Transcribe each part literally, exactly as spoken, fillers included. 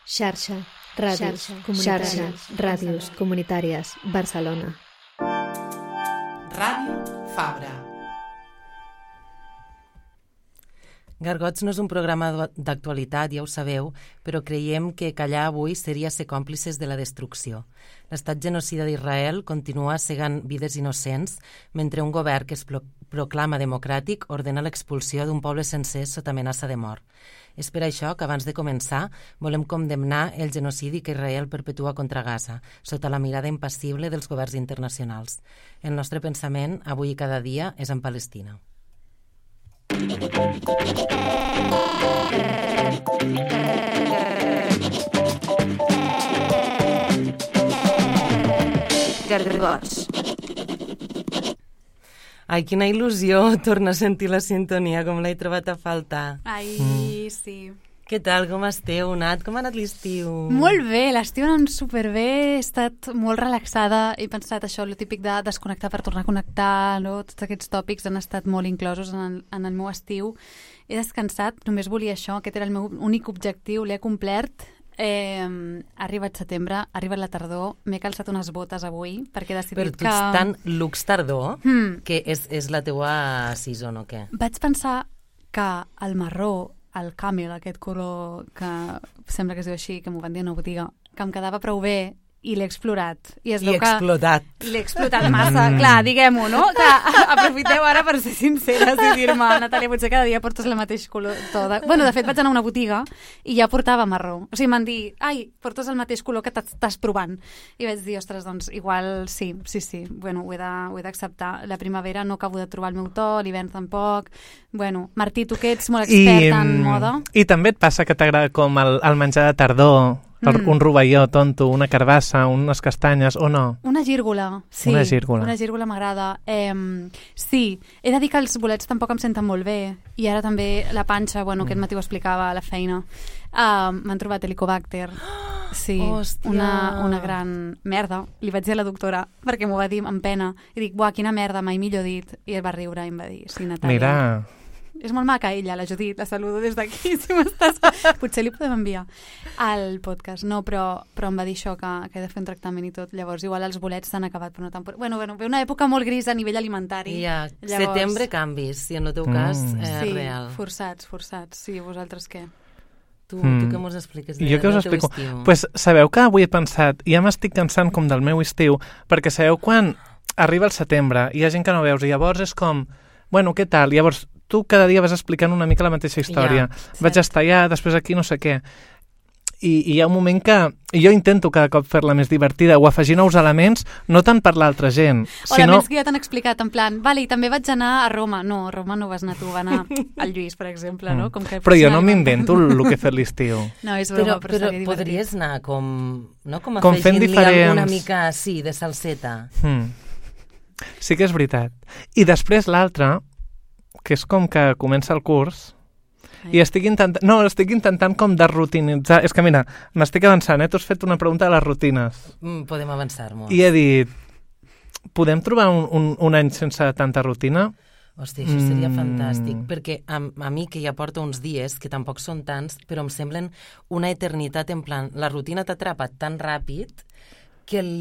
Xarxa, ràdios, xarxa, ràdios comunitàries, Barcelona. Ràdio Fabra. Gargots no és un programa d'actualitat, ja ho sabeu, però creiem que callar avui seria ser còmplices de la destrucció. L'estat genocida d'Israel continua cegant vides innocents mentre un govern que es proclama democràtic ordena l'expulsió d'un poble sencer sota amenaça de mort. És per això que abans de començar volem condemnar el genocidi que Israel perpetua contra Gaza, sota la mirada impassible dels governs internacionals. El nostre pensament, avui i cada dia, és en Palestina. Gargots. Ai, quina il·lusió tornar a sentir la sintonia, com l'he trobat a faltar. Ai, mm. sí. Què tal, com esteu, Nat? Com ha anat l'estiu? Molt bé, l'estiu ha anat superbé, he estat molt relaxada, he pensat això, el típic de desconnectar per tornar a connectar, no? Tots aquests tòpics han estat molt inclosos en el, en el meu estiu. He descansat, només volia això, aquest era el meu únic objectiu, l'he complert. Eh, ha arribat setembre, ha arribat la tardor, m'he calçat unes botes avui perquè he decidit que... Però tu que... ets tan lux tardor hmm. que és, és la teua season o què? Vaig pensar que el marró, el camel, aquest color que sembla que es diu així, que m'ho van dir a una botiga, que em quedava prou bé i l'he explorat. I, es I veu explotat. Que l'he explotat massa, mm. clar, diguem-ho, no? Que aprofiteu ara per ser sinceres i dir-me, Natàlia, potser cada dia portes el mateix color. Tot. Bueno, de fet, vaig anar a una botiga i ja portava marró. O sigui, m'han dit, ai, portes el mateix color que t'estàs provant. I vaig dir, ostres, doncs, igual sí, sí, sí. Bueno, ho he d'acceptar. La primavera no acabo de trobar el meu to, l'hivern tampoc. Bueno, Martí, tu que ets molt expert I, en moda. I també et passa que t'agrada com el, el menjar de tardor, el, mm. un rovelló tonto, una carbassa, unes castanyes, o no? Una gírgola, sí. Una gírgola. Una gírgola m'agrada. Eh, sí, he de dir que els bolets tampoc em senten molt bé. I ara també la panxa, bueno, mm. aquest matí ho explicava a la feina, uh, m'han trobat helicobacter. Sí, una, una gran merda. Li vaig dir a la doctora, perquè m'ho va dir amb pena. I dic, buah, quina merda, mai millor dit. I ell va riure i em va dir, sí, Natàlia. Mira... És molt maca ella, la Judit, la saludo des d'aquí, si m'estàs... Potser li podem enviar al podcast. No, però, però em va dir això, que, que he de fer un tractament i tot. Llavors, igual els bolets s'han acabat, però no tan... Bueno, bueno, ve una època molt grisa a nivell alimentari. Ja, Llavors... setembre canvis, si en el teu mm. cas és sí, real. Sí, forçats, forçats. Sí, vosaltres què? Tu, mm. tu què mos expliques de, jo què us del teu explico? estiu? Pues, sabeu que avui he pensat, ja m'estic cansant com del meu estiu, perquè sabeu quan arriba el setembre, hi ha gent que no veus, i llavors és com, bueno, què tal? Llavors tu cada dia vas explicant una mica la mateixa història. Ja, vaig estar allà, després aquí, no sé què. I, i hi ha un moment que jo intento cada cop fer-la més divertida o afegir nous elements, no tant per l'altra gent. O sinó... elements que ja t'han explicat, en plan, vale, i també vaig anar a Roma. No, a Roma no vas anar tu, va anar al Lluís, per exemple, no? Com que però jo no m'invento el que he fet l'estiu. No, és broma, però, però, però podries anar com, no? com afegint-li diferents... alguna mica, sí, de salseta. Hmm. Sí que és veritat. I després l'altre, que és com que comença el curs Ai. i estic intentant, no, estic intentant com de rutinitzar, és que mira, m'estic avançant, eh? Tu has fet una pregunta de les rutines. Mm, podem avançar molt. I he dit, podem trobar un, un, un any sense tanta rutina? Hòstia, això seria mm. fantàstic, perquè a, a mi que ja porto uns dies, que tampoc són tants, però em semblen una eternitat, en plan, la rutina t'atrapa tan ràpid que el...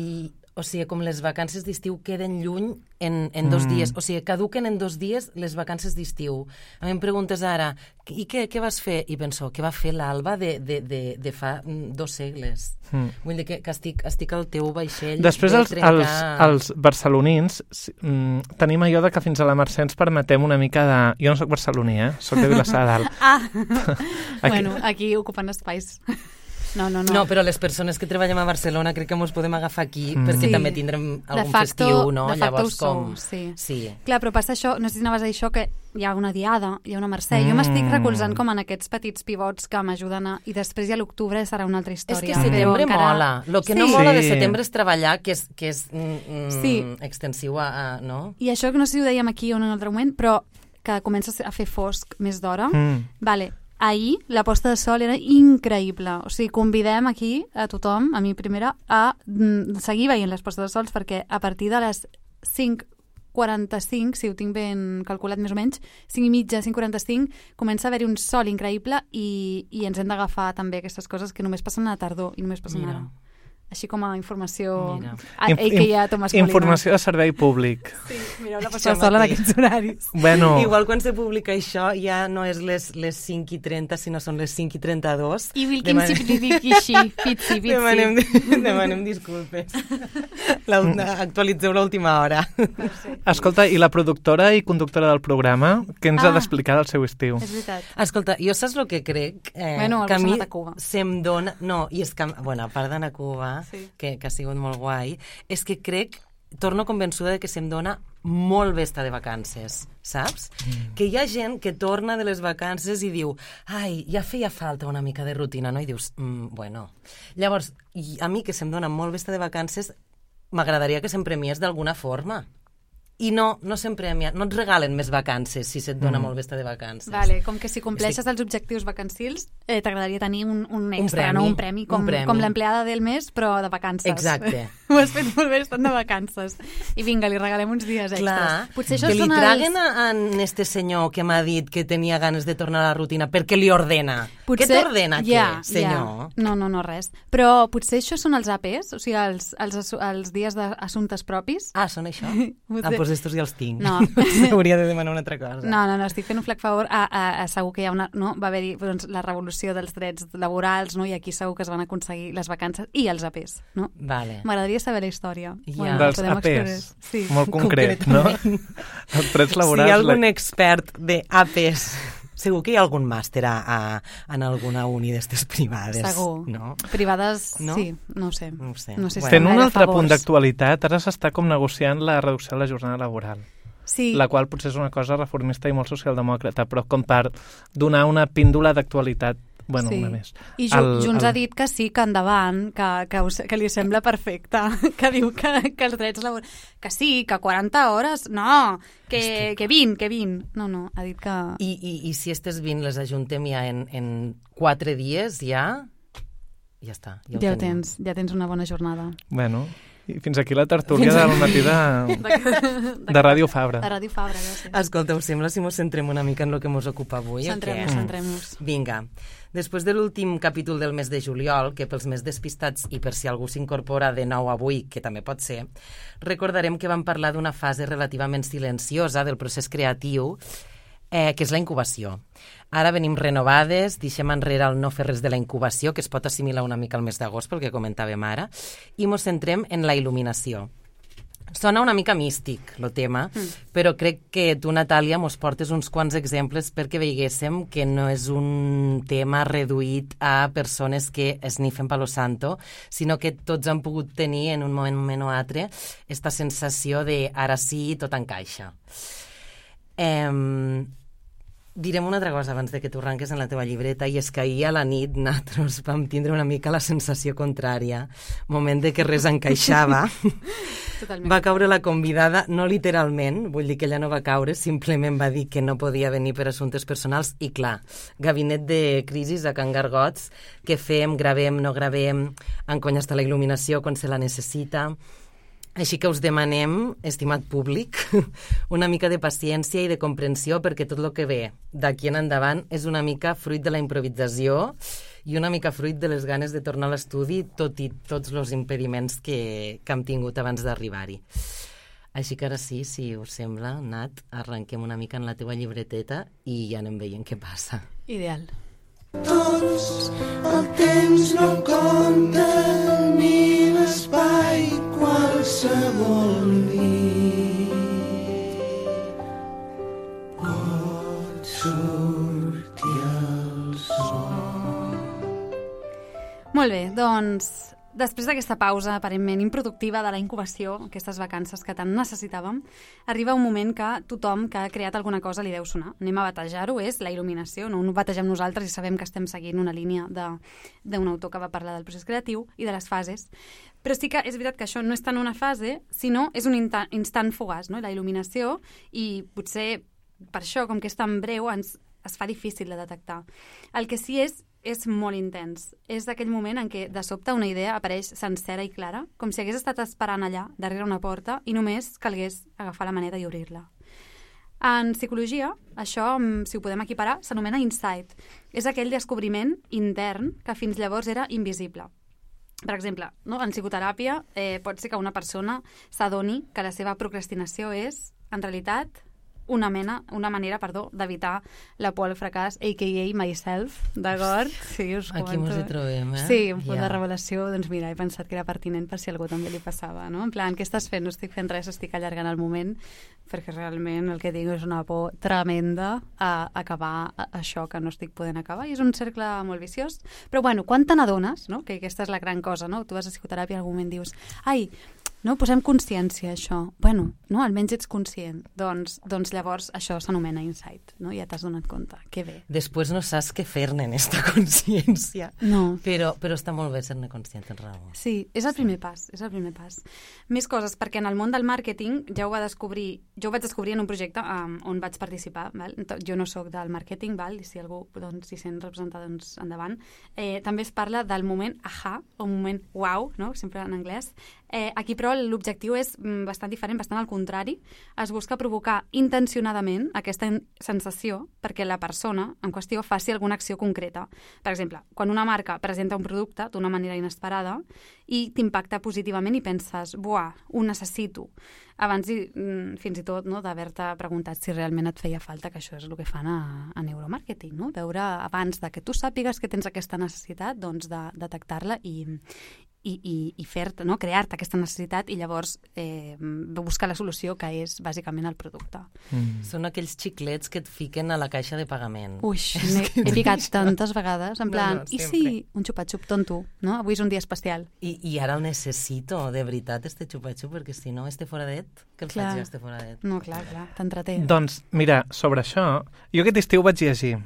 O sigui, com les vacances d'estiu queden lluny en, en dos mm. dies. O sigui, caduquen en dos dies les vacances d'estiu. A mi em preguntes ara, i què, què vas fer? I penso, què va fer l'Alba de, de, de, de fa dos segles? Mm. Vull dir que, que estic, estic al teu vaixell. Després els, trencar... els, els barcelonins mm, tenim allò de que fins a la Mercè ens permetem una mica de... Jo no soc barceloní, eh? Soc de Vilassar de Dalt. Ah, aquí... bueno, aquí ocupant espais... No, no, no. No, però les persones que treballem a Barcelona crec que ens podem agafar aquí mm. perquè sí. també tindrem algun facto, festiu, no? De facto Llavors, com... Sou, sí. sí. Clar, però passa això, no sé si anaves a dir això, que hi ha una diada, hi ha una Mercè. Mm. Jo m'estic recolzant com en aquests petits pivots que m'ajuden a... I després ja l'octubre serà una altra història. És que setembre encara... mola. El que sí. no mola de setembre és treballar, que és, que és mm, sí. extensiu a, a... no? I això que no sé si ho dèiem aquí o en un altre moment, però que comença a fer fosc més d'hora. Mm. Vale. Ahir la posta de sol era increïble. O sigui, convidem aquí a tothom, a mi primera, a mm, seguir veient les postes de sols perquè a partir de les cinc quaranta-cinc, si ho tinc ben calculat més o menys, cinc i mitja, cinc quaranta-cinc, comença a haver-hi un sol increïble i, i ens hem d'agafar també aquestes coses que només passen a la tardor i només passen Mira. ara. Així com a informació... Mira. A, ell que hi ha Tomàs Molina. Informació de servei públic. Sí, mireu la passada sola en aquests horaris. Bueno, Igual quan se publica això ja no és les, les cinc i trenta, sinó són les cinc i trenta-dos. I Wilkin Demanem- Sipidikishi, Pitsi, Pitsi. Demanem, demanem disculpes. La, actualitzeu l'última hora. escolta, i la productora i conductora del programa, què ens Ah. ha d'explicar del seu estiu? És veritat. Escolta, jo saps el que crec? Eh, Bueno, algú que a s'ha mi anat a Cuba. se'm dona... No, i és que, bueno, a part d'anar a Cuba, Sí. que, que ha sigut molt guai, és que crec, torno convençuda de que se'm dona molt bé estar de vacances, saps? Mm. Que hi ha gent que torna de les vacances i diu, ai, ja feia falta una mica de rutina, no? I dius, mm, bueno. Llavors, i a mi que se'm dona molt bé estar de vacances, m'agradaria que se'm premies d'alguna forma. I no, no se'm premia, no et regalen més vacances si se't dona mm. molt bé estar de vacances. Vale, com que si compleixes els objectius vacancils eh, t'agradaria tenir un, un extra, premi, no? Un premi, com, un premi. com l'empleada del mes, però de vacances. Exacte. Ho has fet molt bé estant de vacances. I vinga, li regalem uns dies extras. Clar, Potser això que li són traguen els... a, a este senyor que m'ha dit que tenia ganes de tornar a la rutina perquè li ordena. Potser... Què t'ordena, ja, què, senyor? Ja. No, no, no, res. Però potser això són els A Pes, o sigui, els, els, assu- els dies d'assumptes propis. Ah, són això? Potser- Ah, doncs estos ja els tinc. No. Hauria de demanar una altra cosa. No, no, no, estic fent un flac favor a, a, a segur que hi ha una... No? Va haver-hi doncs, la revolució dels drets laborals, no? I aquí segur que es van aconseguir les vacances i els A Pes, no? Vale. M'agradaria saber la història. Ja. Dels podem A Pes. explorar. Sí. Molt concret, no? Els drets Si hi laborals... ha algun la- expert de A Pes, segur que hi ha algun màster a, a, en alguna uni d'estes privades. Segur. No? Privades, No? sí, no ho sé. No ho sé. No sé si Bueno. Fent estan un gaire altre favors. punt d'actualitat, ara s'està com negociant la reducció de la jornada laboral. Sí, La qual potser és una cosa reformista i molt socialdemòcrata, però com per donar una píndola d'actualitat, bueno, sí. una més. I Ju El- Junts el- ha dit que sí, que endavant, que, que, us, que li sembla perfecte, que diu que, que els drets laborals... Que sí, que quaranta hores, no, que, que vint, que vint. No, no, ha dit que... I, i, I si estes vint les ajuntem ja en, en quatre dies, ja... Ja està. Ja ho Ja ho tenim. tens, ja tens una bona jornada. Bueno, i fins aquí la tertúlia del matí de, de Ràdio Fabra. De Ràdio Fabra, gràcies. Escolta, us sembla si mos centrem una mica en el que mos ocupa avui? o què? Centrem-nos, centrem-nos. Vinga. Després de l'últim capítol del mes de juliol, que pels més despistats i per si algú s'incorpora de nou avui, que també pot ser, recordarem que vam parlar d'una fase relativament silenciosa del procés creatiu, eh, que és la incubació. Ara venim renovades, deixem enrere el no fer res de la incubació, que es pot assimilar una mica al mes d'agost, pel que comentàvem ara, i mos centrem en la il·luminació. Sona una mica místic, el tema, mm. però crec que tu, Natàlia, mos portes uns quants exemples perquè veiguéssim que no és un tema reduït a persones que esnifen Palo Santo, sinó que tots han pogut tenir en un moment o altre esta sensació de ara sí, tot encaixa. Eh, direm una altra cosa abans de que tu arranques en la teva llibreta, i és que ahir a la nit nosaltres vam tindre una mica la sensació contrària, moment de que res encaixava. Totalment. Va caure la convidada, no literalment, vull dir que ella no va caure, simplement va dir que no podia venir per assumptes personals i clar, gabinet de crisis a Can Gargots, què fem, gravem, no gravem, encony està la il·luminació quan se la necessita. Així que us demanem, estimat públic, una mica de paciència i de comprensió perquè tot el que ve d'aquí en endavant és una mica fruit de la improvisació i una mica fruit de les ganes de tornar a l'estudi, tot i tots els impediments que, que hem tingut abans d'arribar-hi. Així que ara sí, si us sembla, Nat, arrenquem una mica en la teva llibreteta i ja anem veient què passa. Ideal. Tots el temps no compta ni l'espai qualsevol nit pot sortir el sol. Molt bé, doncs, després d'aquesta pausa aparentment improductiva de la incubació, aquestes vacances que tant necessitàvem, arriba un moment que tothom que ha creat alguna cosa li deu sonar. Anem a batejar-ho, és la il·luminació, no ho bategem nosaltres i sabem que estem seguint una línia d'un autor que va parlar del procés creatiu i de les fases. Però sí que és veritat que això no és tant una fase, sinó és un instant fugaç, no? La il·luminació, i potser per això, com que és tan breu, ens es fa difícil de detectar. El que sí és és molt intens. És aquell moment en què de sobte una idea apareix sencera i clara, com si hagués estat esperant allà, darrere una porta, i només calgués agafar la maneta i obrir-la. En psicologia, això, si ho podem equiparar, s'anomena insight. És aquell descobriment intern que fins llavors era invisible. Per exemple, no? En psicoteràpia eh, pot ser que una persona s'adoni que la seva procrastinació és, en realitat, una mena, una manera, perdó, d'evitar la por al fracàs, a k a myself, d'acord? Sí, us Aquí mos hi trobem, eh? Sí, un punt Ja. de revelació, doncs mira, he pensat que era pertinent per si a algú també li passava, no? En plan, què estàs fent? No estic fent res, estic allargant el moment, perquè realment el que tinc és una por tremenda a acabar això que no estic podent acabar, i és un cercle molt viciós. Però bueno, quan te n'adones, no? Que aquesta és la gran cosa, no? Tu vas a psicoteràpia i en algun moment dius, ai, no, posem consciència a això. Bueno, no, almenys ets conscient. Doncs, doncs llavors això s'anomena insight, no? Ja t'has donat compte. Que bé. Després no saps què fer-ne en esta consciència. No. Però, però està molt bé ser-ne conscient, tens raó. Sí, és el primer pas, és el primer pas. Més coses, perquè en el món del màrqueting ja ho va descobrir, jo ho vaig descobrir en un projecte um, on vaig participar, val? Jo no sóc del màrqueting, val? I si algú doncs, s'hi sent representat, doncs endavant. Eh, també es parla del moment aha, o moment wow, no? Sempre en anglès. Eh, aquí, però, l'objectiu és bastant diferent, bastant al contrari. Es busca provocar intencionadament aquesta sensació perquè la persona en qüestió faci alguna acció concreta. Per exemple, quan una marca presenta un producte d'una manera inesperada i t'impacta positivament i penses, buah, ho necessito. Abans, i, fins i tot, no, d'haver-te preguntat si realment et feia falta, que això és el que fan a, a neuromàrqueting, no? Veure, abans de que tu sàpigues que tens aquesta necessitat, doncs de detectar-la i, i, i, i fer-te, no? Crear-te aquesta necessitat i llavors eh, buscar la solució, que és bàsicament el producte. Mm. Són aquells xiclets que et fiquen a la caixa de pagament. Ui, he, he picat tantes vegades, en plan, No, no, i sempre. si un xupa-xup tonto, no? Avui és un dia especial. I, I ara el necessito, de veritat, este xupa-xup, perquè si no, este foradet, que el Clar. faig jo, este foradet. No, clar, clar, t'entreté. Doncs, mira, sobre això, jo aquest estiu vaig llegir.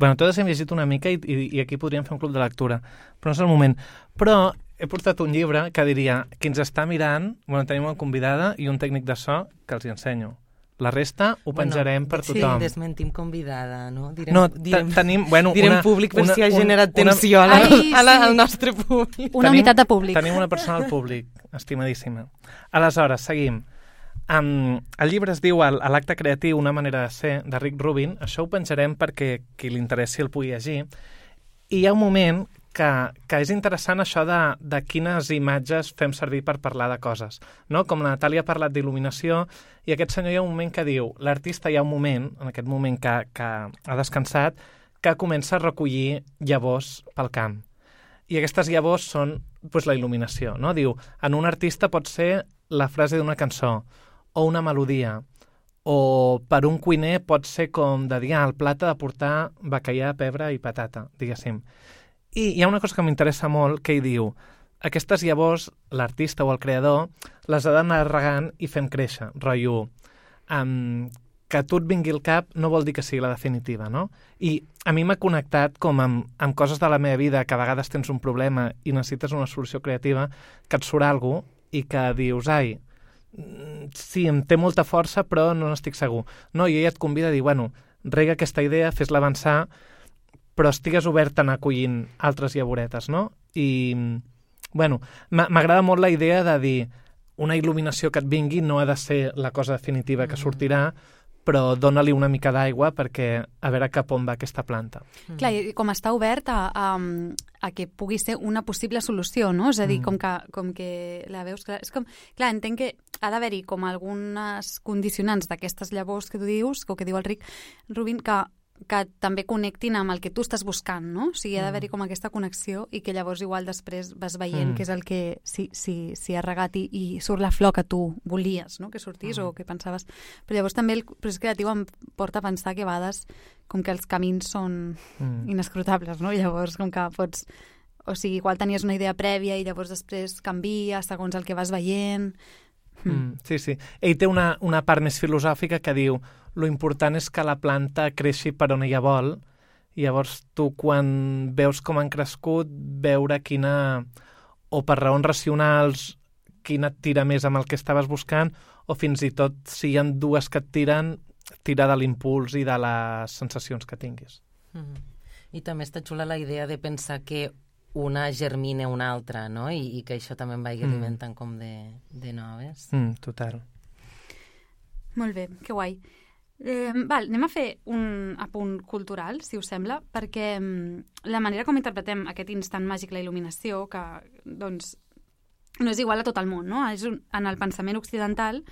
Bueno, totes hem llegit una mica i, i, i aquí podríem fer un club de lectura, però no és el moment. Però he portat un llibre que diria, qui ens està mirant, bueno, tenim una convidada i un tècnic de so que els hi ensenyo. La resta ho penjarem per sí, tothom. desmentim convidada, no? Direm, No, direm, tenim, bueno, direm una, públic per una, si ha un- generat una- tensió a la, Ai, a la, sí. al nostre públic. Una Tenim- unitat de públic. Tenim una persona al públic, estimadíssima. Aleshores, seguim. Um, el llibre es diu El- L'acte creatiu, una manera de ser, de Rick Rubin. Això ho penjarem perquè qui li interessi el pugui llegir. I hi ha un moment que, que és interessant això de, de quines imatges fem servir per parlar de coses. No? Com la Natàlia ha parlat d'il·luminació, i aquest senyor hi ha un moment que diu, l'artista hi ha un moment, en aquest moment que, que ha descansat, que comença a recollir llavors pel camp. I aquestes llavors són pues, la il·luminació. No? Diu, en un artista pot ser la frase d'una cançó, o una melodia, o per un cuiner pot ser com de dir, ah, el plat ha de portar bacallà, pebre i patata, diguéssim. I hi ha una cosa que m'interessa molt, que hi diu, aquestes llavors, l'artista o el creador, les ha d'anar regant i fent créixer, rotllo, um, que a tu et vingui al cap no vol dir que sigui la definitiva, no? I a mi m'ha connectat com amb, amb coses de la meva vida, que a vegades tens un problema i necessites una solució creativa, que et surt alguna cosa i que dius, ai, sí, em té molta força, però no n'estic segur. No, i ella et convida a dir, bueno, rega aquesta idea, fes-la avançar, però estigues obert a anar acollint altres llavoretes, no? I, bueno, m'agrada molt la idea de dir una il·luminació que et vingui no ha de ser la cosa definitiva que sortirà, però dona-li una mica d'aigua perquè a veure cap on va aquesta planta. Mm. Clar, i com està obert a, a, a que pugui ser una possible solució, no? És a dir, mm. com, que, com que la veus... Clar, és com, clar, entenc que ha d'haver-hi com algunes condicionants d'aquestes llavors que tu dius, o que diu el Rick Rubin, que que també connectin amb el que tu estàs buscant, no? O sigui, ha d'haver-hi com aquesta connexió i que llavors igual després vas veient mm. que és el que si, si, si ha regat i, i surt la flor que tu volies, no? Que sortís mm. o que pensaves. Però llavors també el procés creatiu em porta a pensar que a vegades com que els camins són mm. inescrutables, no? I llavors com que pots... O sigui, igual tenies una idea prèvia i llavors després canvia segons el que vas veient... Mm, sí, sí. Ell té una, una part més filosòfica que diu lo important és que la planta creixi per on ella vol i llavors tu quan veus com han crescut veure quina, o per raons racionals, quina et tira més amb el que estaves buscant o fins i tot si hi ha dues que et tiren, tira de l'impuls i de les sensacions que tinguis. Mm. I també està xula la idea de pensar que una germina una altra, no? I, i que això també em vagi alimentant mm. com de, de noves. Mm, total. Molt bé, que guai. Eh, val, anem a fer un apunt cultural, si us sembla, perquè mm, la manera com interpretem aquest instant màgic, la il·luminació, que doncs, no és igual a tot el món, no? És un, en el pensament occidental,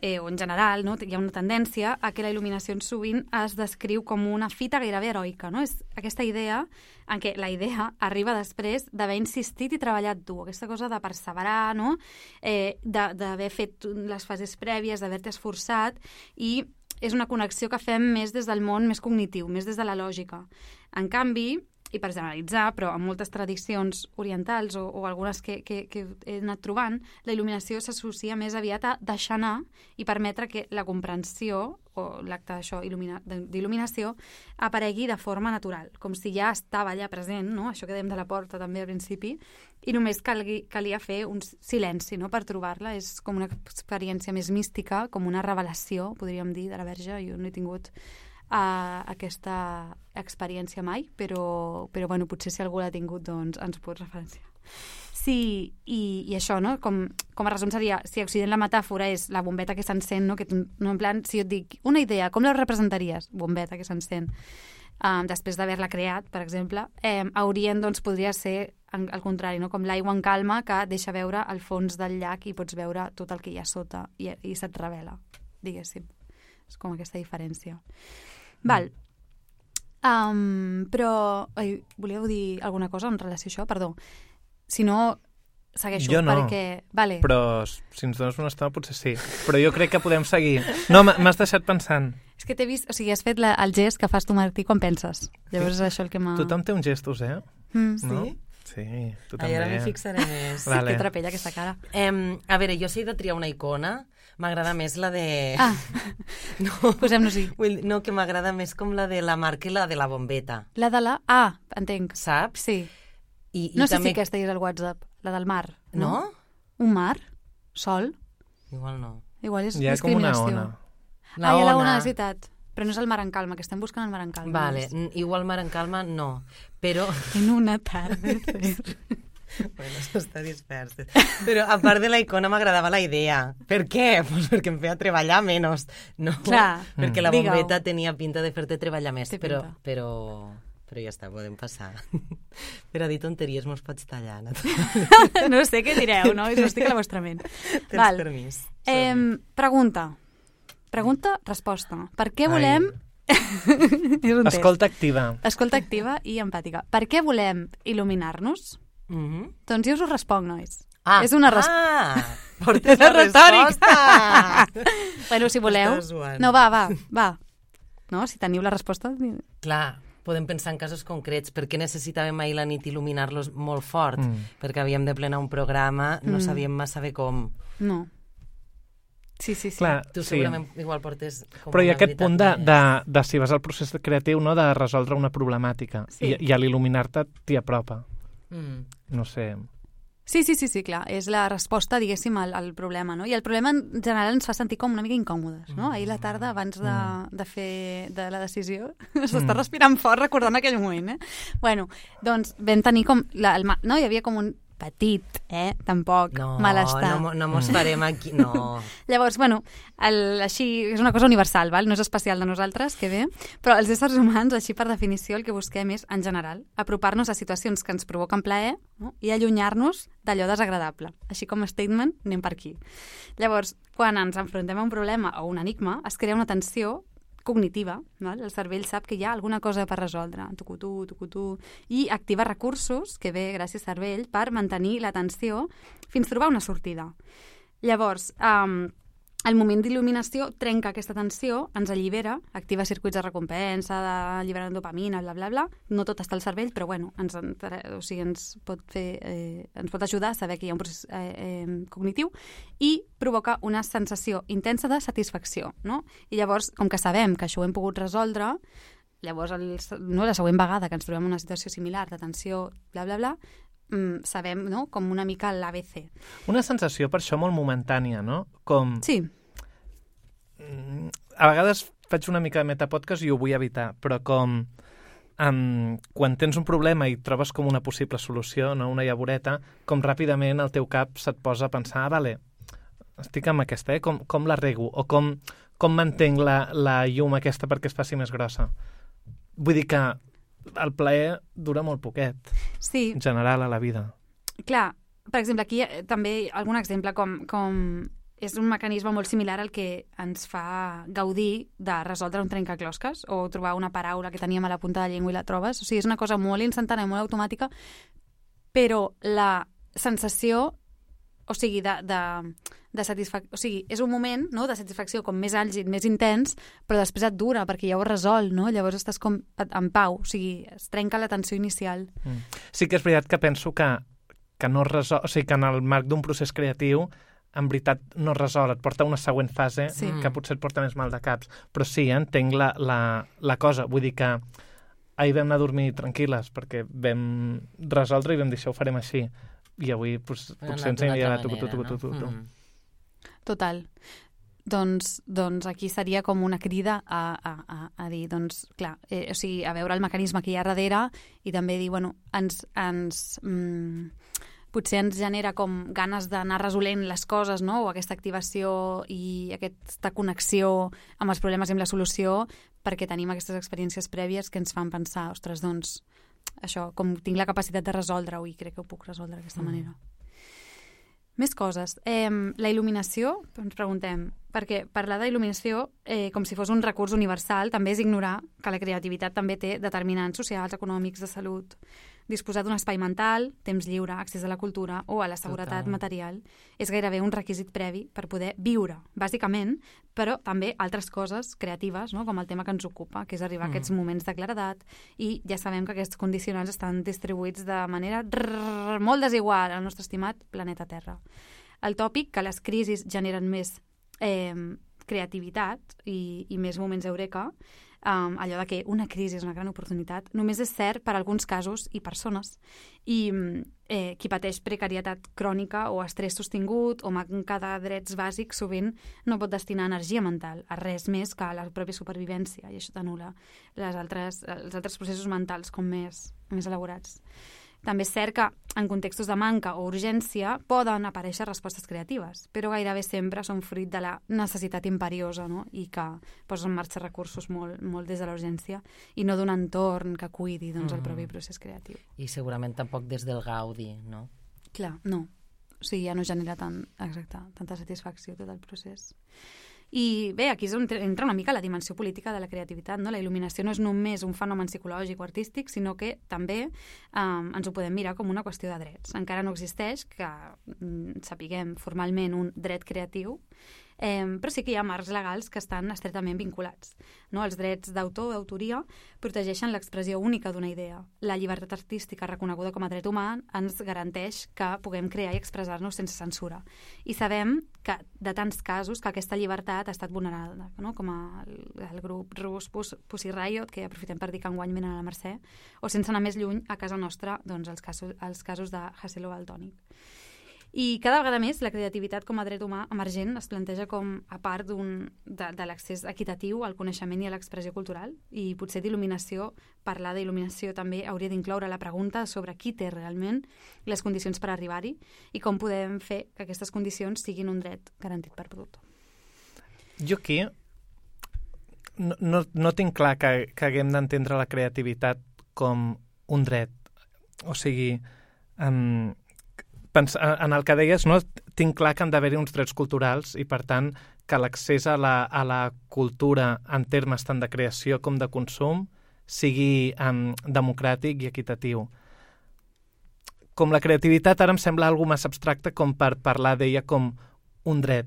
eh, o en general, no? Hi ha una tendència a que la il·luminació sovint es descriu com una fita gairebé heroica, no? És aquesta idea en què la idea arriba després d'haver insistit i treballat dur, aquesta cosa de perseverar, no? Eh, d'haver fet les fases prèvies, d'haver-te esforçat, i és una connexió que fem més des del món més cognitiu, més des de la lògica. En canvi, i per generalitzar, però en moltes tradicions orientals o, o algunes que, que, que he anat trobant, la il·luminació s'associa més aviat a deixar anar i permetre que la comprensió o l'acte d'això d'il·luminació aparegui de forma natural, com si ja estava allà present, no? Això que dèiem de la porta també al principi, i només calgui, calia fer un silenci, no?, per trobar-la. És com una experiència més mística, com una revelació, podríem dir, de la Verge. Jo no he tingut a aquesta experiència mai, però, però bueno, potser si algú l'ha tingut, doncs ens pot referenciar. Sí, i, i això, no? Com, com a resum seria, si a Occident la metàfora és la bombeta que s'encén, no? Que tu, no, en plan, si jo et dic una idea, com la representaries? Bombeta que s'encén. Um, després d'haver-la creat, per exemple, eh, a Orient, doncs, podria ser en, al contrari, no? Com l'aigua en calma que deixa veure el fons del llac i pots veure tot el que hi ha sota i, i se't revela, diguéssim. És com aquesta diferència. Val. Um, però... Ai, volíeu dir alguna cosa en relació a això? Perdó. Si no, segueixo. Jo no, perquè... vale. Però si ens dones una estona potser sí. Però jo crec que podem seguir. No, m'has deixat pensant. És que t'he vist... O sigui, has fet la, el gest que fas tu, Martí, quan penses. Llavors és això el que m'ha... Tothom té uns gestos, eh? Mm. No? Sí? Sí, tu Ai, també. ara m'hi fixaré més. Sí, vale. Que trapella aquesta cara. Um, a veure, jo si he de triar una icona, m'agrada més la de... Ah, no, posem-nos-hi. No, que m'agrada més com la de la marca i la de la bombeta. La de la... Ah, entenc. Saps? Sí. I, i no sé també... si aquesta hi és al WhatsApp, la del mar. No? No? Un mar? Sol? Igual no. Igual és Hi ha com una discriminació. La ona. Ah, hi ha la ona. ona, és veritat. Però no és el mar en calma, que estem buscant el mar en calma. Vale, igual mar en calma no, però... En una tarda. Bueno, això està dispers. Però a part de la icona m'agradava la idea. Per què? Pues perquè em feia treballar menys. No, clar, perquè la digue-ho. bombeta tenia pinta de fer-te treballar més. Té Però, pinta. però, però ja està, podem passar. Per a dir tonteries mos pots tallar. No sé què direu, no? Jo estic a la vostra ment. Tens Val. permís. Eh, pregunta. Pregunta, resposta. Per què volem... És un test. Escolta activa. Escolta activa i empàtica. Per què volem il·luminar-nos? Mm -hmm. Doncs jo us ho responc, nois. Ah, és una resposta. ah, portes la retòric. resposta. Bueno, si voleu... Estàs suant. No, va, va, va. No, si teniu la resposta... Clar, podem pensar en casos concrets. Per què necessitàvem ahir la nit il·luminar-los molt fort? Mm. Perquè havíem de plenar un programa, no Mm. sabíem massa bé com. No. Sí, sí, sí. Clar, Tu sí. segurament igual portes... Com Però hi ha una aquest punt de, veritat de, de si vas al procés creatiu, no?, de resoldre una problemàtica. Sí. I, i a l'il·luminar-te t'hi apropa. més. Mm. No sé... Sí, sí, sí, sí, clar. És la resposta, diguéssim, al, al problema, no? I el problema en general ens fa sentir com una mica incòmodes, no? Ahir a la tarda, abans de, de fer de la decisió, s'està respirant fort recordant aquell moment, eh? Bueno, doncs vam tenir com... La, el, ma- no? Hi havia com un petit, eh? Tampoc, No, malestar. no, no mos farem aquí, no. Llavors, bueno, el, així, és una cosa universal, val? No és especial de nosaltres, que bé, però els éssers humans, així per definició, el que busquem és, en general, apropar-nos a situacions que ens provoquen plaer, no? I allunyar-nos d'allò desagradable. Així com a statement, anem per aquí. Llavors, quan ens enfrontem a un problema o un enigma, es crea una tensió cognitiva, val? El cervell sap que hi ha alguna cosa per resoldre, tucutú, tucutú, i activa recursos, que ve gràcies al cervell, per mantenir l'atenció fins trobar una sortida. Llavors, um, el moment d'il·luminació trenca aquesta tensió, ens allibera, activa circuits de recompensa, d'alliberar dopamina, bla, bla, bla. No tot està al cervell, però bueno, ens, o sigui, ens, pot fer, eh, ens pot ajudar a saber que hi ha un procés eh, eh, cognitiu i provoca una sensació intensa de satisfacció, no? I llavors, com que sabem que això ho hem pogut resoldre, llavors el, no, la següent vegada que ens trobem en una situació similar de tensió, bla, bla, bla, mm, sabem, no?, com una mica l'A B C. Una sensació per això molt momentània, no? Com... Sí. A vegades faig una mica de metapodcast i ho vull evitar, però com... um, quan tens un problema i trobes com una possible solució, no? Una llavoreta, com ràpidament el teu cap se't posa a pensar, ah, vale, estic amb aquesta, eh? com, com la rego? O com, com mantenc la, la llum aquesta perquè es faci més grossa? Vull dir que el plaer dura molt poquet, sí. en general, a la vida. Clar, per exemple, aquí també algun exemple com, com és un mecanisme molt similar al que ens fa gaudir de resoldre un trencaclosques o trobar una paraula que teníem a la punta de la llengua i la trobes. O sigui, és una cosa molt instantània, molt automàtica, però la sensació, o sigui, de, de, de satisfacció, o sigui, és un moment, no?, de satisfacció com més àlgid, més intens, però després et dura, perquè ja ho has resolt, no? Llavors estàs com en pau, o sigui, es trenca la tensió inicial. Mm. Sí que és veritat que penso que, que no resol, o sigui, que en el marc d'un procés creatiu en veritat no resol, et porta a una següent fase sí. que potser et porta més mal de caps. Però sí, eh, entenc la, la, la cosa. Vull dir que ahir vam anar a dormir tranquil·les perquè vam resoldre i vam dir això ho farem així. I avui pues, potser ens hem llevat tu, tu, tu, tu, tu, tu. Mm. Total. Doncs, doncs aquí seria com una crida a, a, a, a dir, doncs, clar, eh, o sigui, a veure el mecanisme que hi ha darrere i també dir, bueno, ens... ens mm, potser ens genera com ganes d'anar resolent les coses, no? O aquesta activació i aquesta connexió amb els problemes i amb la solució perquè tenim aquestes experiències prèvies que ens fan pensar, ostres, doncs, això, com tinc la capacitat de resoldre-ho i crec que ho puc resoldre d'aquesta mm. manera. Més coses. Eh, la il·luminació, ens preguntem, perquè parlar d'il·luminació eh, com si fos un recurs universal també és ignorar que la creativitat també té determinants socials, econòmics, de salut. Disposar d'un espai mental, temps lliure, accés a la cultura o a la seguretat Total. Material és gairebé un requisit previ per poder viure, bàsicament, però també altres coses creatives, no? Com el tema que ens ocupa, que és arribar mm. a aquests moments de claredat, i ja sabem que aquests condicionants estan distribuïts de manera rrr, molt desigual al nostre estimat planeta Terra. El tòpic que les crisis generen més eh, creativitat i, i més moments eureka, Um, allò de que una crisi és una gran oportunitat, només és cert per a alguns casos i persones. I eh, qui pateix precarietat crònica o estrès sostingut o manca de drets bàsics sovint no pot destinar energia mental a res més que a la pròpia supervivència, i això t'anul·la les altres, els altres processos mentals com més, més elaborats. També és cert que en contextos de manca o urgència poden aparèixer respostes creatives, però gairebé sempre són fruit de la necessitat imperiosa, no? I que posa en marxa recursos molt, molt des de l'urgència i no d'un entorn que cuidi doncs, el propi procés creatiu. I segurament tampoc des del gaudi, no? Clar, no. O sigui, ja no genera tant, exacte, tanta satisfacció tot el procés. I bé, aquí és on entra una mica la dimensió política de la creativitat, no? La il·luminació no és només un fenomen psicològic o artístic, sinó que també eh, ens ho podem mirar com una qüestió de drets. Encara no existeix, que mm, sapiguem formalment, un dret creatiu, eh, però sí que hi ha marcs legals que estan estretament vinculats. No? Els drets d'autor o d'autoria protegeixen l'expressió única d'una idea. La llibertat artística reconeguda com a dret humà ens garanteix que puguem crear i expressar-nos sense censura. I sabem que de tants casos que aquesta llibertat ha estat vulnerada, no? Com el, el grup rus Pussy Riot, que aprofitem per dir que enguany venen a la Mercè, o sense anar més lluny a casa nostra, doncs els casos, els casos de Hassel o Valtònic. I cada vegada més la creativitat com a dret humà emergent es planteja com a part d'un, de, de l'accés equitatiu al coneixement i a l'expressió cultural, i potser d'il·luminació, parlar d'il·luminació també hauria d'incloure la pregunta sobre qui té realment les condicions per arribar-hi i com podem fer que aquestes condicions siguin un dret garantit per tothom. Jo aquí no, no, no tinc clar que, que haguem d'entendre la creativitat com un dret. O sigui, um, en el que deies, no, tinc clar que han d'haver-hi uns drets culturals i, per tant, que l'accés a la, a la cultura en termes tant de creació com de consum sigui um, democràtic i equitatiu. Com la creativitat ara em sembla alguna més abstracta com per parlar d'ella com un dret.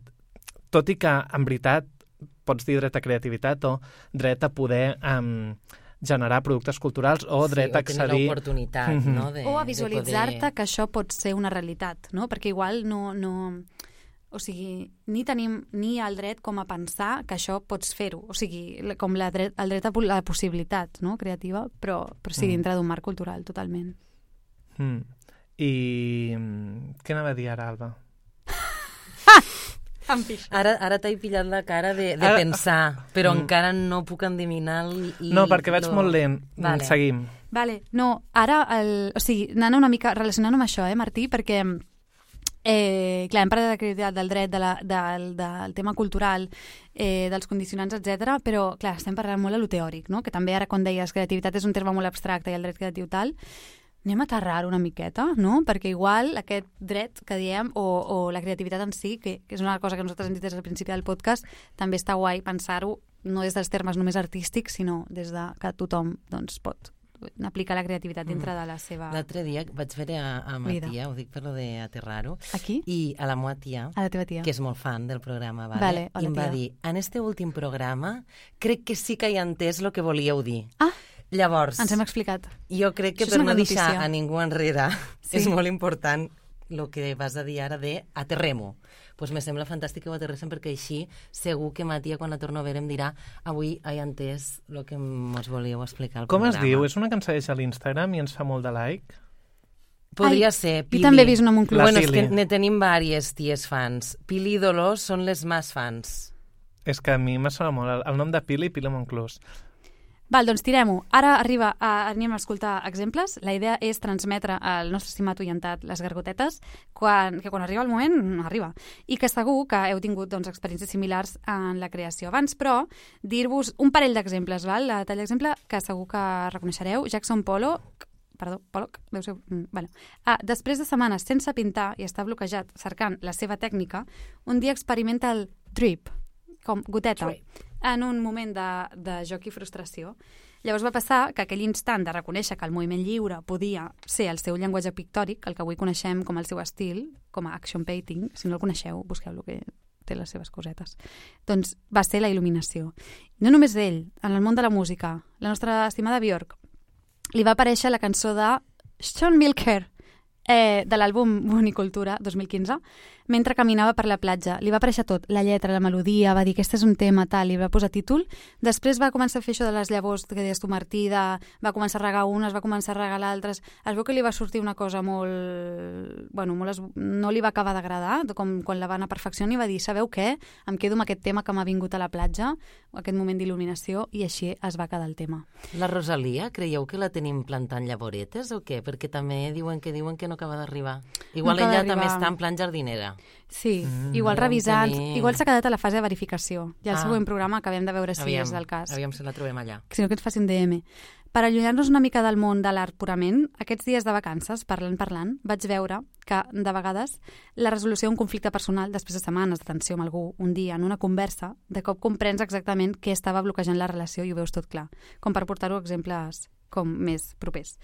Tot i que, en veritat, pots dir dret a creativitat o dret a poder... Um, generar productes culturals o dret sí, a accedir... O l'oportunitat, mm-hmm. no? De, o a visualitzar-te poder... que això pot ser una realitat, no? Perquè igual no... no... O sigui, ni tenim ni el dret com a pensar que això pots fer-ho. O sigui, com la dret, el dret a la possibilitat, no?, creativa, però, però sí, dintre d'un marc cultural, totalment. Mm. I què anava a dir ara, Alba? Em pixo. Ara, ara t'he pillat la cara de, de Ara- pensar, però Mm. encara no puc endevinar el... No, perquè vaig lo- molt lent. Vale. Seguim. Vale, no, ara, el, o sigui, anant una mica relacionant amb això, eh, Martí, perquè, eh, clar, hem parlat de la creativitat, del dret, de la, del, del tema cultural, eh, dels condicionants, etcètera, però, clar, estem parlant molt de lo teòric, no? Que també ara, quan deies, creativitat és un terme molt abstracte i el dret creatiu tal, anem a aterrar una miqueta, no? Perquè igual aquest dret que diem, o, o la creativitat en si, que, que és una cosa que nosaltres hem dit des del principi del podcast, també està guai pensar-ho no des dels termes només artístics, sinó des de que tothom doncs, pot aplicar la creativitat dintre de la seva... L'altre dia vaig veure a, a ma Vida. tia, ho dic per lo de aterrar-ho, Aquí? i a la meva tia, A la teva tia. que és molt fan del programa, vale? Vale, i hola, em va tia. dir, en este últim programa crec que sí que he entès el que volíeu dir. Ah, Llavors, ens hem explicat. jo crec que Això és per una no bona deixar notícia. a ningú enrere Sí. és molt important el que vas a dir ara de aterrem-ho. Pues me sembla fantàstic que ho aterréssim perquè així segur que ma tia quan la torno a veure em dirà avui he entès el que mos volíeu explicar al Com es programa. diu? És una que ens segueix a l'Instagram i ens fa molt de like? Podria Ai, ser jo Pili. també he vist una Moncloa. Bueno, La és que Pili. ne tenim vàries ties fans. Pili i Dolors són les més fans. És que a mi me sona molt el, el nom de Pili i Pili Monclús. Val, doncs tirem-ho. Ara arriba a, anem a escoltar exemples. La idea és transmetre al nostre estimat oyentat les gargotetes, quan, que quan arriba el moment, arriba. I que segur que heu tingut doncs, experiències similars en la creació. Abans, però, dir-vos un parell d'exemples. Val? La tall d'exemple que segur que reconeixereu. Jackson Pollock, perdó, Pollock, deu ser... Mm, bueno. Ah, després de setmanes sense pintar i estar bloquejat cercant la seva tècnica, un dia experimenta el drip, com goteta, Drip. en un moment de, de joc i frustració. Llavors va passar que aquell instant de reconèixer que el moviment lliure podia ser el seu llenguatge pictòric, el que avui coneixem com el seu estil, com a action painting, si no el coneixeu, busqueu-lo, que té les seves cosetes. Doncs va ser la il·luminació. No només ell, en el món de la música, la nostra estimada Björk, li va aparèixer la cançó de Sean Milker, eh, de l'àlbum Bonicultura dos mil quinze, mentre caminava per la platja. Li va aparèixer tot, la lletra, la melodia, va dir que este és un tema, tal, i va posar títol. Després va començar a fer això de les llavors que deies tu, Martí, de, va començar a regar unes, va començar a regar l'altres. Es veu que li va sortir una cosa molt... Bueno, molt es... no li va acabar d'agradar, com quan la va anar perfeccionant i va dir, sabeu què? Em quedo amb aquest tema que m'ha vingut a la platja, aquest moment d'il·luminació, i així es va quedar el tema. La Rosalia, creieu que la tenim plantant llavoretes o què? Perquè també diuen que diuen que no acaba d'arribar. Igual acaba ella d'arribar. també està en plan jardinera. Sí, Mm. igual revisant, Tenim- igual s'ha quedat a la fase de verificació. I al Ah. següent programa acabem de veure si Aviam, és el cas. aviam si la trobem allà. Si no que ens faci un D M. Per allunyar-nos una mica del món de l'art purament, aquests dies de vacances, parlant, parlant, vaig veure que, de vegades, la resolució d'un conflicte personal, després de setmanes de tensió amb algú, un dia, en una conversa, de cop comprens exactament què estava bloquejant la relació i ho veus tot clar, com per portar-ho a exemples com més propers.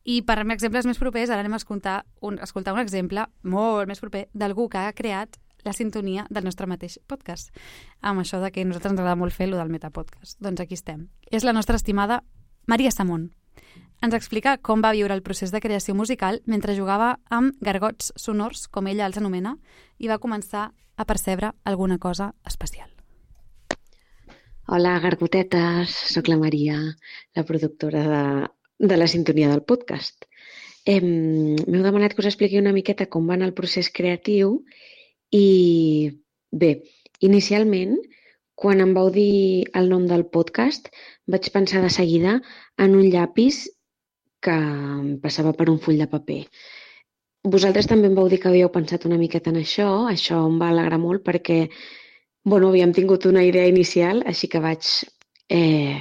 I per exemples més propers, ara anem a escoltar un, escoltar un exemple molt més proper d'algú que ha creat la sintonia del nostre mateix podcast. Amb això de que a nosaltres ens agrada molt fer lo del metapodcast. Doncs aquí estem. És la nostra estimada Maria Samón. Ens explica com va viure el procés de creació musical mentre jugava amb gargots sonors, com ella els anomena, i va començar a percebre alguna cosa especial. Hola, gargotetes. Soc la Maria, la productora de, de la sintonia del podcast. Eh, M'heu demanat que us expliqui una miqueta com va anar el procés creatiu i, bé, inicialment, quan em vau dir el nom del podcast, vaig pensar de seguida en un llapis que em passava per un full de paper. Vosaltres també em vau dir que havíeu pensat una miqueta en això, això em va alegrar molt perquè bueno, havíem tingut una idea inicial, així que vaig, eh,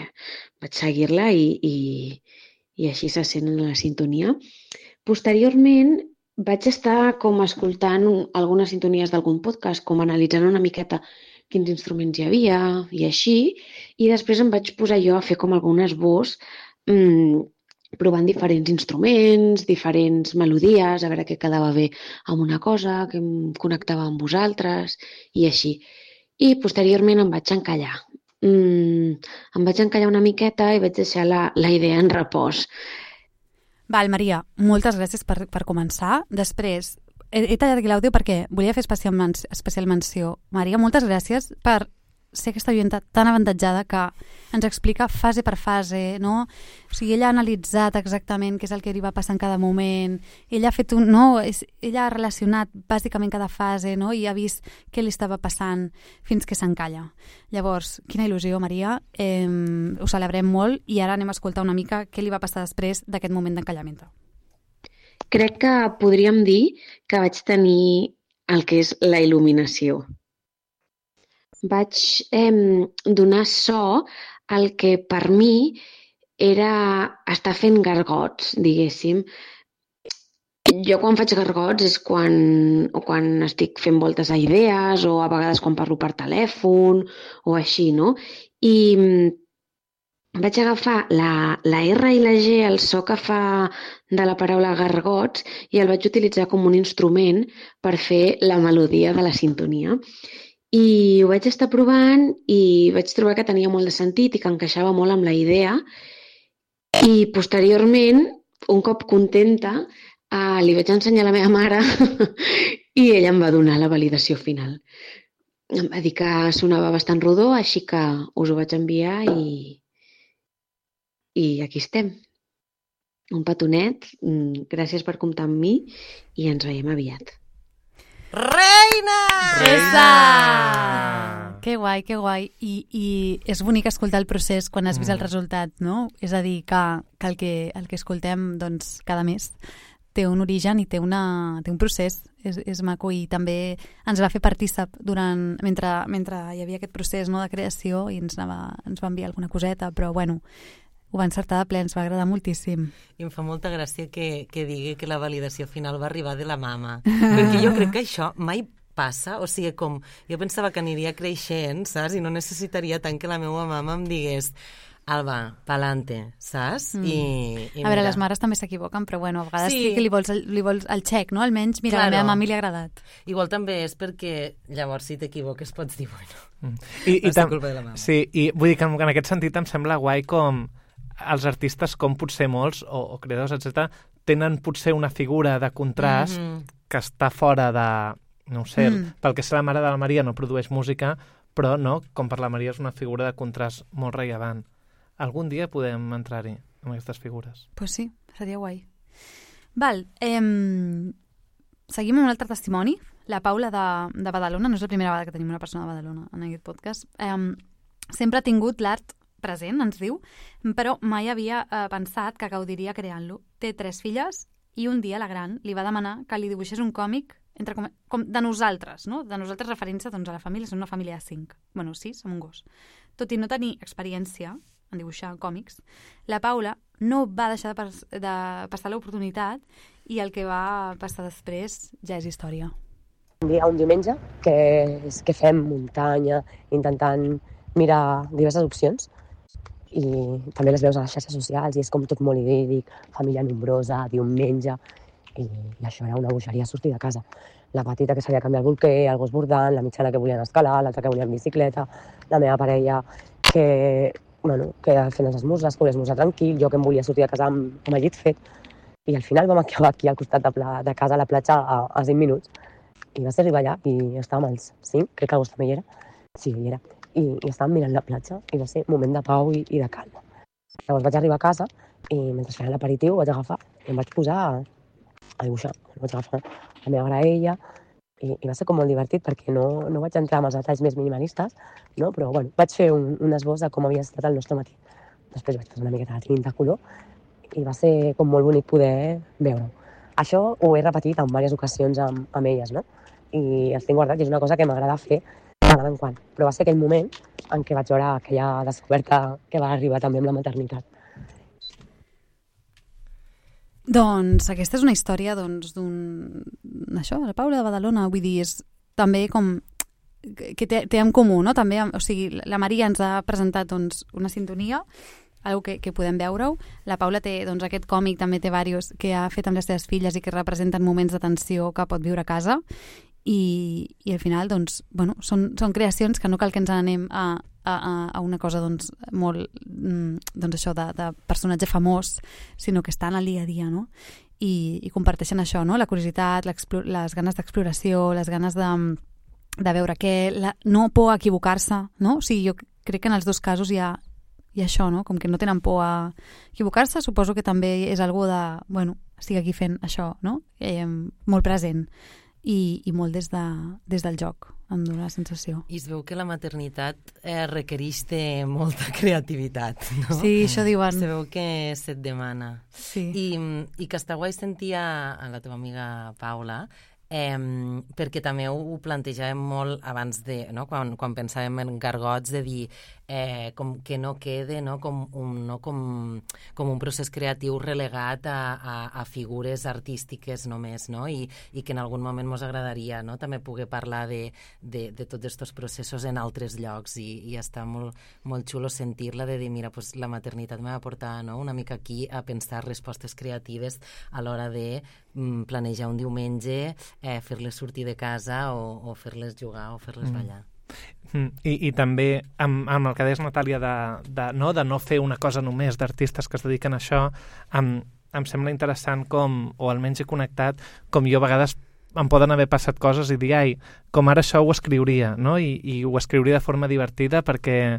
vaig seguir-la i, i, i així se sent en la sintonia. Posteriorment vaig estar com escoltant un, algunes sintonies d'algun podcast, com analitzant una miqueta quins instruments hi havia i així, i després em vaig posar jo a fer com algun esbós mmm, provant diferents instruments, diferents melodies, a veure què quedava bé amb una cosa, que em connectava amb vosaltres i així. I posteriorment em vaig encallar. Mm, em vaig encallar una miqueta i vaig deixar la, la idea en repòs. Val, Maria, moltes gràcies per, per començar. Després, he, he tallat aquí l'àudio perquè volia fer especial, men especial menció. Maria, moltes gràcies per ser aquesta oienta tan avantatjada que ens explica fase per fase, no? O sigui, ella ha analitzat exactament què és el que li va passar en cada moment, ella ha fet un, no? Ella ha relacionat bàsicament cada fase, no? I ha vist què li estava passant fins que s'encalla. Llavors, quina il·lusió, Maria, eh, ho celebrem molt i ara anem a escoltar una mica què li va passar després d'aquest moment d'encallament. Crec que podríem dir que vaig tenir el que és la il·luminació. Vaig eh, donar so al que per mi era estar fent gargots, diguéssim. Jo quan faig gargots és quan, o quan estic fent voltes a idees o a vegades quan parlo per telèfon o així, no? I vaig agafar la, la R i la G, el so que fa de la paraula gargots, i el vaig utilitzar com un instrument per fer la melodia de la sintonia. I ho vaig estar provant i vaig trobar que tenia molt de sentit i que encaixava molt amb la idea. I posteriorment, un cop contenta, eh, li vaig ensenyar a la meva mare i ella em va donar la validació final. Em va dir que sonava bastant rodó, així que us ho vaig enviar i, i aquí estem. Un petonet, gràcies per comptar amb mi i ens veiem aviat. Reina! Reina! Que guai, que guai. I, I és bonic escoltar el procés quan has vist mm. el resultat, no? És a dir, que, que, el, que el que escoltem doncs, cada mes té un origen i té, una, té un procés. És, és maco i també ens va fer partícip durant, mentre, mentre hi havia aquest procés, no, de creació i ens, anava, ens va enviar alguna coseta, però bueno, ho va encertar de ple, ens va agradar moltíssim. I em fa molta gràcia que, que digui que la validació final va arribar de la mama, perquè jo crec que això mai passa, o sigui, com jo pensava que aniria creixent, saps? I no necessitaria tant que la meva mama em digués Alba, pa'lante, saps? Mm. I, i a veure, mira. les mares també s'equivoquen, però bueno, a vegades sí. sí que li vols, li vols el xec, no? Almenys, mira, claro. A la meva mami li ha agradat. Igual també és perquè llavors si t'equivoques pots dir, bueno, mm. I, no i és tam- culpa de la mama. Sí, i vull dir que en, en aquest sentit em sembla guai com els artistes, com potser molts, o, o creadors, etcètera, tenen potser una figura de contrast mm-hmm. que està fora de, no ho sé, mm. pel que sé la mare de la Maria no produeix música, però no, com per la Maria és una figura de contrast molt rellevant. Algun dia podem entrar-hi amb aquestes figures. Pues sí, seria guai. Val, eh, seguim amb un altre testimoni. La Paula de, de Badalona, no és la primera vegada que tenim una persona de Badalona en aquest podcast. Eh, sempre ha tingut l'art present, ens diu, però mai havia eh, pensat que gaudiria creant-lo. Té tres filles i un dia la gran li va demanar que li dibuixés un còmic entre com, com de nosaltres, no? De nosaltres referint-se doncs, a la família, som una família de cinc. Bueno, sis, som un gos. Tot i no tenir experiència en dibuixar còmics, la Paula no va deixar de, pas, de passar l'oportunitat i el que va passar després ja és història. Un dia, un diumenge, que, és que fem muntanya, intentant mirar diverses opcions, i també les veus a les xarxes socials i és com tot molt idíl·lic, família nombrosa, diumenge, i, i això era una bogeria sortir de casa. La petita que sabia canviar el bolquer, el gos bordant, la mitjana que volien escalar, l'altra que volia en bicicleta, la meva parella que, bueno, que fent els esmorzars, que volia esmorzar tranquil, jo que em volia sortir de casa amb, amb el llit fet, i al final vam acabar aquí al costat de, pla, de casa a la platja a, a cinc minuts, i va ser arribar allà i estàvem als cinc, crec que el gos també hi era, sí, hi era, i, i estàvem mirant la platja i va ser un moment de pau i, i de calma. Llavors vaig arribar a casa i mentre feien l'aperitiu vaig agafar i em vaig posar a, a dibuixar. Vaig agafar la meva graella i, i va ser com molt divertit perquè no, no vaig entrar en els detalls més minimalistes, no? Però bueno, vaig fer un, un esbós de com havia estat el nostre matí. Després vaig posar una miqueta de tinta color i va ser com molt bonic poder veure-ho. Això ho he repetit en diverses ocasions amb, amb elles, no? I els tinc guardats i és una cosa que m'agrada fer de tant en quant. Però va ser aquell moment en què vaig veure aquella descoberta que va arribar també amb la maternitat. Doncs aquesta és una història doncs, d'un... Això, la Paula de Badalona, vull dir, és també com que té, té en comú, no? També, o sigui, la Maria ens ha presentat doncs, una sintonia, algo que, que podem veure-ho. La Paula té doncs, aquest còmic, també té diversos que ha fet amb les seves filles i que representen moments de tensió que pot viure a casa. I, i al final doncs, bueno, són, són creacions que no cal que ens anem a, a, a una cosa doncs, molt doncs això de, de personatge famós, sinó que estan al dia a dia, no? I, i comparteixen això, no? La curiositat, les ganes d'exploració, les ganes de, de veure que la, no por a equivocar-se, no? O sigui, jo crec que en els dos casos hi ha, hi ha això, no? Com que no tenen por a equivocar-se, suposo que també és algo de, bueno, estic aquí fent això, no? Eh, molt present i, i molt des, de, des del joc, em dóna la sensació. I es veu que la maternitat eh, requereix de molta creativitat, no? Sí, això diuen. Se veu que se't demana. Sí. I, i que està guai sentir a, a la teva amiga Paula, eh, perquè també ho, ho plantejàvem molt abans de, no? quan, quan pensàvem en gargots, de dir eh, com que no quede, no? Com, un, no? Com, com un procés creatiu relegat a, a, a figures artístiques només, no? I, i que en algun moment ens agradaria, no? També poder parlar de, de, de tots aquests processos en altres llocs i, i està molt, molt xulo sentir-la, de dir, mira, pues, la maternitat me va portar, no? Una mica aquí a pensar respostes creatives a l'hora de mm, planejar un diumenge, eh, fer-les sortir de casa o, o fer-les jugar o fer-les mm. ballar. I, i també amb, amb el que deies, Natàlia, de, de, no, de no fer una cosa només d'artistes que es dediquen a això, em, em sembla interessant com, o almenys he connectat, com jo a vegades em poden haver passat coses i dir, ai, com ara això ho escriuria, no? I, i ho escriuria de forma divertida perquè,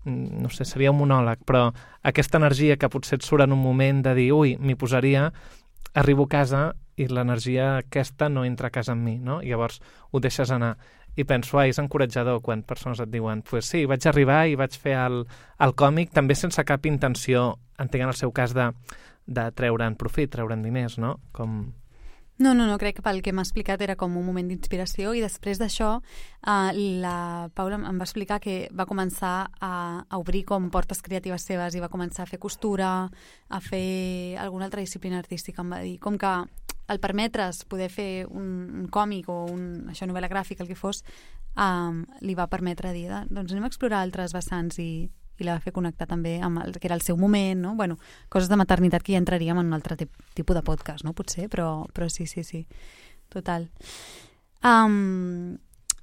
no sé, seria un monòleg, però aquesta energia que potser et surt en un moment de dir, ui, m'hi posaria, arribo a casa i l'energia aquesta no entra a casa amb mi, no? I llavors ho deixes anar. I penso, ai, és encoratjador quan persones et diuen, pues sí, vaig arribar i vaig fer el, el còmic, també sense cap intenció, entenc en el seu cas, de, de treure'n profit, treure'n diners, no? Com... No, no, no, crec que pel que m'ha explicat era com un moment d'inspiració i després d'això eh, la Paula em va explicar que va començar a, a obrir com portes creatives seves i va començar a fer costura, a fer alguna altra disciplina artística, em va dir, com que el permetre's poder fer un, un còmic o un, això, novel·la gràfica, el que fos, um, li va permetre dir, doncs anem a explorar altres vessants i, i la va fer connectar també amb el que era el seu moment, no? Bueno, coses de maternitat que ja entraríem en un altre tipus de podcast, no? Potser, però, però sí, sí, sí, total. Um,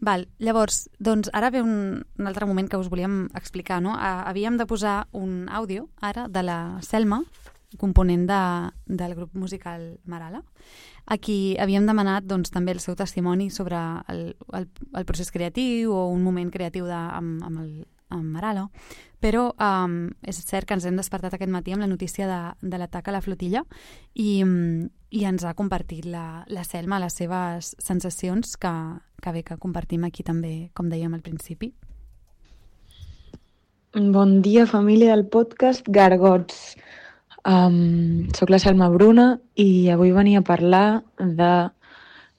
val, llavors, doncs ara ve un, un altre moment que us volíem explicar, no? Havíem de posar un àudio, ara, de la Selma, component de, del grup musical Marala. Aquí havíem demanat doncs, també el seu testimoni sobre el, el, el procés creatiu o un moment creatiu de, amb, amb, el, amb Marala, però um, és cert que ens hem despertat aquest matí amb la notícia de, de l'atac a la flotilla i, i ens ha compartit la, la Selma les seves sensacions que, que bé que compartim aquí també, com dèiem al principi. Bon dia, família del podcast Gargots. Um, soc la Selma Bruna i avui venia a parlar de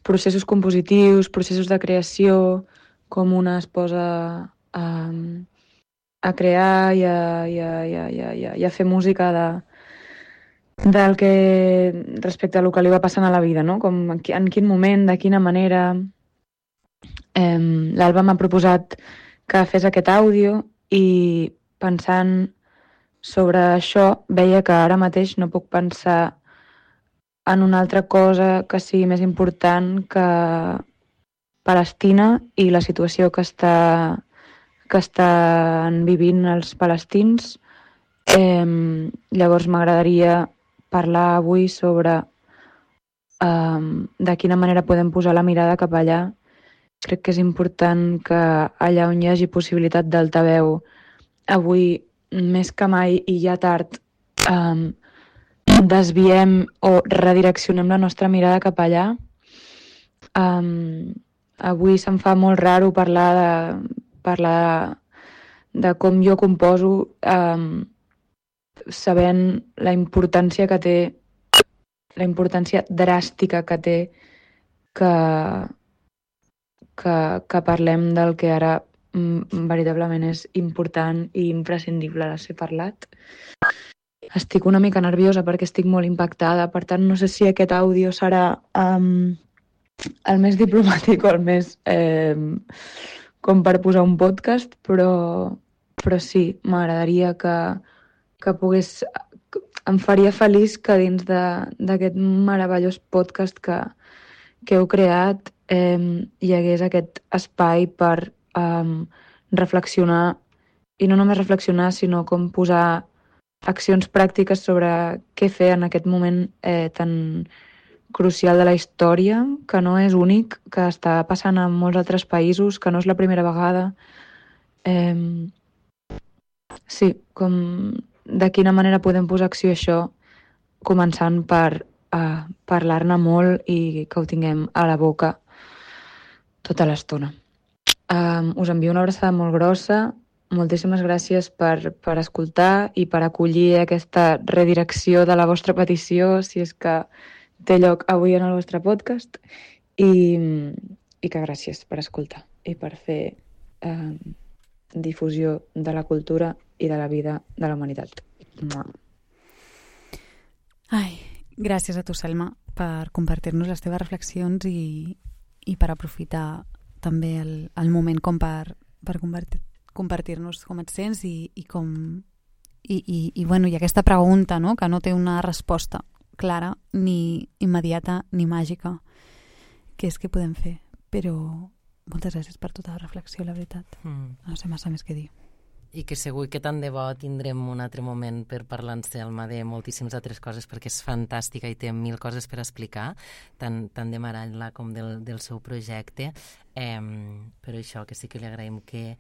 processos compositius, processos de creació, com una es posa um, a crear i a, i a, i a, i a, i a fer música de, del que respecte a lo que li va passant a la vida, no? Com en, en quin moment, de quina manera. Um, L'Alba m'ha proposat que fes aquest àudio i pensant sobre això, veia que ara mateix no puc pensar en una altra cosa que sigui més important que Palestina i la situació que, està, que estan vivint els palestins. Eh, llavors m'agradaria parlar avui sobre eh, de quina manera podem posar la mirada cap allà. Crec que és important que allà on hi hagi possibilitat d'altaveu avui més que mai i ja tard um, desviem o redireccionem la nostra mirada cap allà. Um, avui se'm fa molt raro parlar de, parlar de, de com jo composo um, sabent la importància que té, la importància dràstica que té que, que, que parlem del que ara veritablement és important i imprescindible de ser parlat. Estic una mica nerviosa perquè estic molt impactada, per tant no sé si aquest àudio serà um, el més diplomàtic o el més eh, com per posar un podcast, però, però sí, m'agradaria que, que pogués... Em faria feliç que dins d'aquest meravellós podcast que, que heu creat eh, hi hagués aquest espai per Um, reflexionar, i no només reflexionar, sinó com posar accions pràctiques sobre què fer en aquest moment eh, tan crucial de la història, que no és únic, que està passant en molts altres països, que no és la primera vegada. Eh, sí, com de quina manera podem posar acció a això, començant per eh, parlar-ne molt i que ho tinguem a la boca tota l'estona. Eh, us envio una abraçada molt grossa. Moltíssimes gràcies per, per escoltar i per acollir aquesta redirecció de la vostra petició, si és que té lloc avui en el vostre podcast, i, i que gràcies per escoltar i per fer eh, difusió de la cultura i de la vida de la humanitat. Mua. Ai, gràcies a tu, Selma, per compartir-nos les teves reflexions i, i per aprofitar també el, el moment com per, per compartir compartir-nos com et sents i, i com i, i, i, bueno, i aquesta pregunta, no?, que no té una resposta clara ni immediata ni màgica, que és què podem fer. Però moltes gràcies per tota la reflexió, la veritat. Mm. No sé massa més què dir. I que segur que tant de bo tindrem un altre moment per parlar en Selma de moltíssimes altres coses, perquè és fantàstica i té mil coses per explicar, tant, tant de Maralla com del, del seu projecte. Eh, però això, que sí que li agraïm que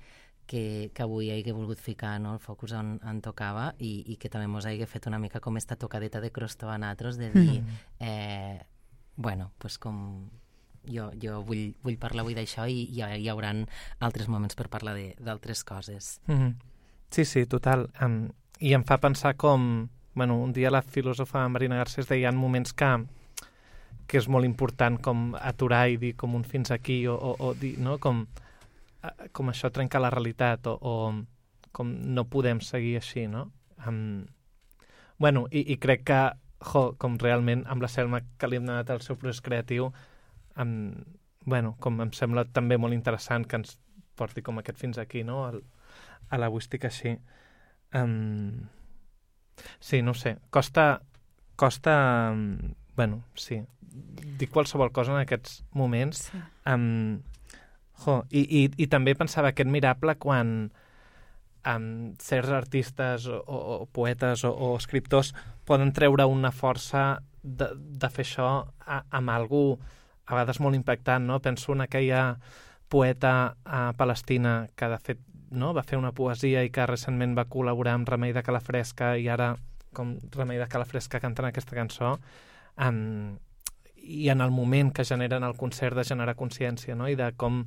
Que, que avui hagi volgut ficar, no, el focus on, on tocava i, i que també ens hagi fet una mica com esta tocadeta de crostó a nosaltres, de dir, mm. eh, bueno, pues com jo, jo vull, vull parlar avui d'això i hi, hi haurà altres moments per parlar d'altres coses. Mm-hmm. Sí, sí, total. Um, I em fa pensar com, bueno, un dia la filòsofa Marina Garcés deia en moments que, que és molt important com aturar i dir com un fins aquí o, o, o dir, no, com com això trenca la realitat o, o com no podem seguir així, no? Um, bueno, i, i crec que, jo, com realment amb la Selma que li hem donat el seu procés creatiu, um, bueno, com em sembla també molt interessant que ens porti com aquest fins aquí, no? El, a l'agüística així. Um, sí, no sé, costa, costa, um, bueno, sí, dir qualsevol cosa en aquests moments. Sí. Um, Jo, i, i, i també pensava aquest mirable quan um, certs artistes o, o, o poetes o, o escriptors poden treure una força de, de fer això a, amb algú a vegades molt impactant, no? Penso en aquella poeta a Palestina que de fet, no, va fer una poesia i que recentment va col·laborar amb Remei de Calafresca i ara com Remei de Calafresca cantant aquesta cançó, um, i en el moment que generen el concert de generar consciència, no? I de com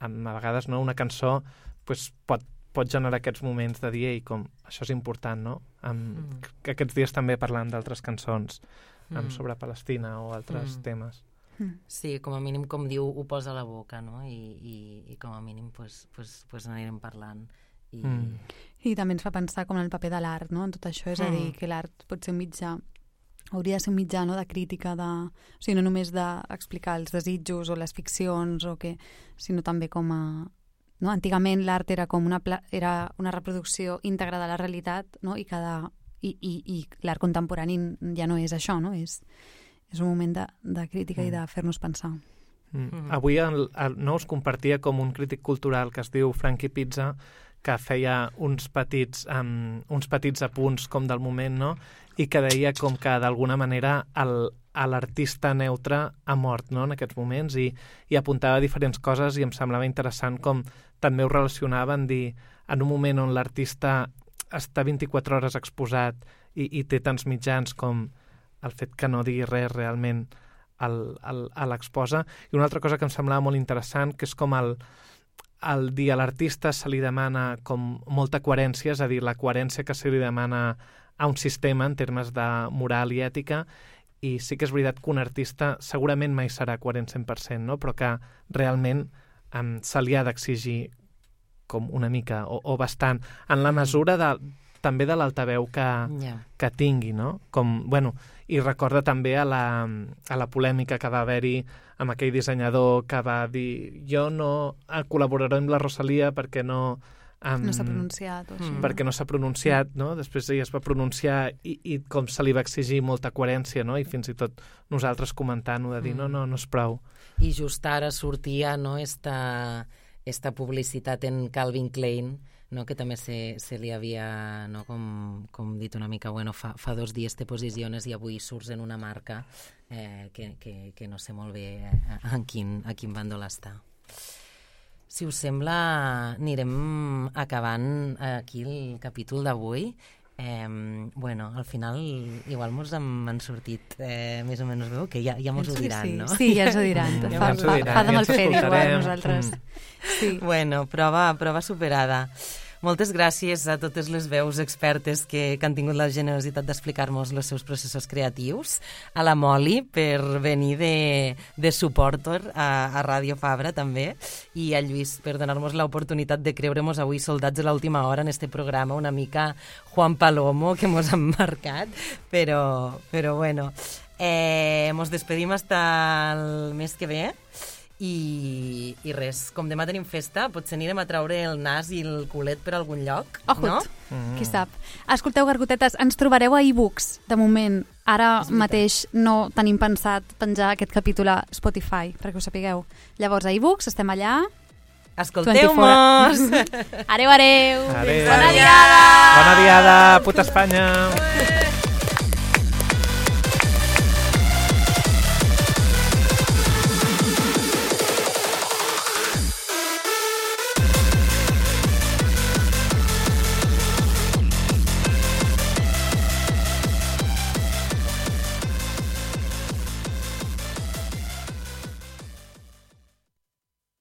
a vegades, no, una cançó pues, pot, pot generar aquests moments de dir, ei, com això és important, no? Um, mm. que aquests dies també parlant d'altres cançons um, mm. sobre Palestina o altres mm. temes. Mm. Sí, com a mínim, com diu, ho posa a la boca, no? I, i, i com a mínim pues, pues, pues anirem parlant. I... Mm. I també ens fa pensar com en el paper de l'art, no? En tot això, és mm. a dir, que l'art pot ser un mitjà, hauria de ser un mitjà, no?, de crítica, de... o sigui, no només d'explicar els desitjos o les ficcions, o que... sinó també com a... No? Antigament l'art era com una, pla... era una reproducció íntegra de la realitat, no? I, cada... I, i, i l'art contemporani ja no és això, no? És, és un moment de, de crítica mm. i de fer-nos pensar. Mm. Mm. Avui el, el, no, us compartia com un crític cultural que es diu Frankie Pizza, que feia uns petits, um, uns petits apunts com del moment, no? I que deia com que d'alguna manera el, l'artista neutre ha mort, no?, en aquests moments, i, i apuntava diferents coses i em semblava interessant com també ho relacionava en dir, en un moment on l'artista està vint-i-quatre hores exposat i, i té tants mitjans com el fet que no digui res realment el, el, a l'exposa. I una altra cosa que em semblava molt interessant, que és com el el dir a l'artista se li demana com molta coherència, és a dir, la coherència que se li demana a un sistema en termes de moral i ètica, i sí que és veritat que un artista segurament mai serà coherent cent per cent, no? Però que realment um, se li ha d'exigir com una mica o, o bastant, en la mesura de, també de l'altaveu que, yeah. que tingui, no? Com, bueno, i recorda també a la, a la polèmica que va haver-hi amb aquell dissenyador que va dir jo no col·laboraré amb la Rosalia perquè no... Um, no s'ha pronunciat. O així, mm. Perquè no s'ha pronunciat, no? Després ella es va pronunciar i, i com se li va exigir molta coherència, no? I fins i tot nosaltres comentant-ho de dir mm. no, no, no és prou. I just ara sortia, no, esta, esta publicitat en Calvin Klein no? Que també se, se li havia, no? com, com dit una mica, bueno, fa, fa dos dies te posiciones i avui surts en una marca eh, que, que, que no sé molt bé en quin, a quin bàndol està. Si us sembla, anirem acabant aquí el capítol d'avui. Eh, bueno, al final igual mos han sortit eh, més o menys veu, que ja, ja mos ho diran, sí, sí. no? Sí, ja ens ho diran. Ja fa, ens ho fa, diran, fa de ja mal ens fer igual escoltarem. nosaltres. Sí. Bueno, prova, prova superada. Moltes gràcies a totes les veus expertes que, que han tingut la generositat d'explicar-nos els seus processos creatius, a la Moli per venir de, de suportor a, a Ràdio Fabra també, i a Lluís per donar-nos l'oportunitat de creure-nos avui soldats de l'última hora en este programa, una mica Juan Palomo que mos han marcat, però, però bueno, eh, mos despedim hasta el mes que ve. I, i res, com demà tenim festa, potser anirem a traure el nas i el culet per algun lloc, Ojut, no? Mm. Qui sap. Escolteu, gargotetes, ens trobareu a e-books, de moment. Ara mateix no tenim pensat penjar aquest capítol a Spotify, perquè ho sapigueu. Llavors, a e-books, estem allà. Escolteu-mos! Adéu, adéu! Adéu. Bona diada! Bona diada, puta Espanya!